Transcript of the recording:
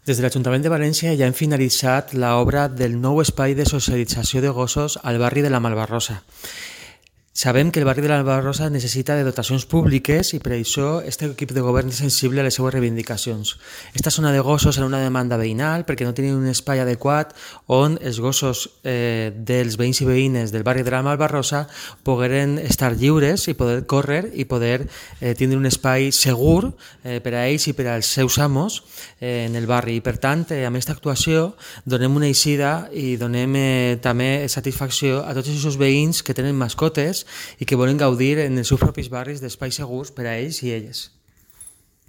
Des de l'Ajuntament de València ja hem finalitzat l'obra del nou espai de socialització de gossos al barri de la Malvarrosa. Sabem que el barri de la Malvarrosa necessita de dotacions públiques i per això este equip de govern és sensible a les seues reivindicacions. Esta zona de gossos era una demanda veïnal perquè no tenien un espai adequat on els gossos dels veïns i veïnes del barri de la Malvarrosa pogueren estar lliures i poder córrer i poder tindre un espai segur per a ells i per als seus amos en el barri. I per tant, amb aquesta actuació donem una eixida i donem també satisfacció a tots els veïns que tenen mascotes i que volen gaudir en els seus propis barris d'espais segurs per a ells i elles.